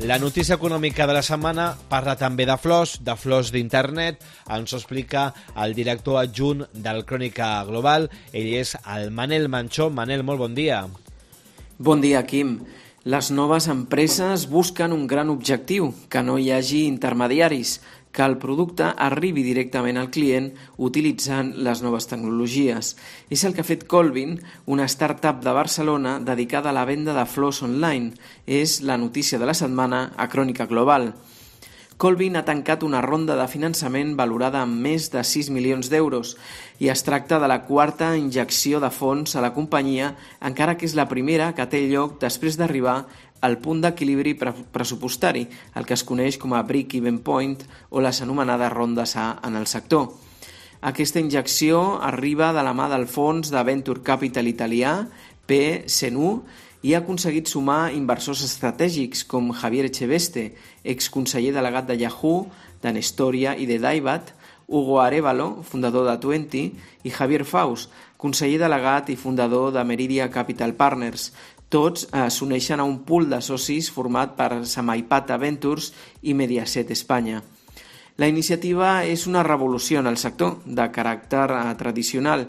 La notícia econòmica de la setmana parla també de flors d'internet. Ens ho explica el director adjunt del Crònica Global. Ell és el Manel Manchó. Manel, molt bon dia. Bon dia, Quim. Les noves empreses busquen un gran objectiu, que no hi hagi intermediaris, que el producte arribi directament al client utilitzant les noves tecnologies. És el que ha fet Colvin, una startup de Barcelona dedicada a la venda de flors online. És la notícia de la setmana a Crònica Global. Colvin ha tancat una ronda de finançament valorada en més de 6 milions d'euros i es tracta de la quarta injecció de fons a la companyia, encara que és la primera que té lloc després d'arribar al punt d'equilibri pressupostari, el que es coneix com a break-even point o les anomenades rondes A en el sector. Aquesta injecció arriba de la mà del fons de Venture Capital italià, PSenu, i ha aconseguit sumar inversors estratègics com Javier Echeveste, exconseller delegat de Yahoo, de Nestoria i de Daibat, Hugo Arévalo, fundador de Twenty, i Javier Faust, conseller delegat i fundador de Meridia Capital Partners. Tots s'uneixen a un pool de socis format per Samaipata Ventures i Mediaset Espanya. La iniciativa és una revolució en el sector, de caràcter tradicional.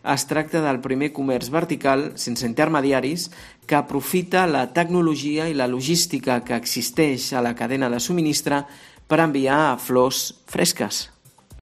Es tracta del primer comerç vertical, sense intermediaris, que aprofita la tecnologia i la logística que existeix a la cadena de subministre per enviar flors fresques.